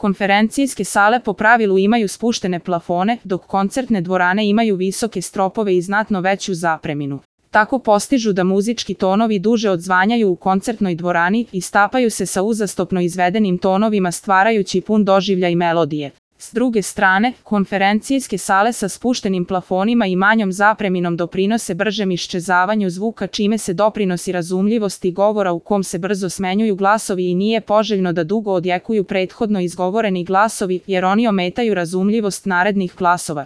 Konferencijske sale po pravilu imaju spuštene plafone, dok koncertne dvorane imaju visoke stropove i znatno veću zapreminu. Tako postižu da muzički tonovi duže odzvanjaju u koncertnoj dvorani i stapaju se sa uzastopno izvedenim tonovima stvarajući pun doživljaj melodije. S druge strane, konferencijske sale sa spuštenim plafonima i manjom zapreminom doprinose bržem iščezavanju zvuka čime se doprinosi razumljivosti govora u kom se brzo smenjuju glasovi i nije poželjno da dugo odjekuju prethodno izgovoreni glasovi jer oni ometaju razumljivost narednih glasova.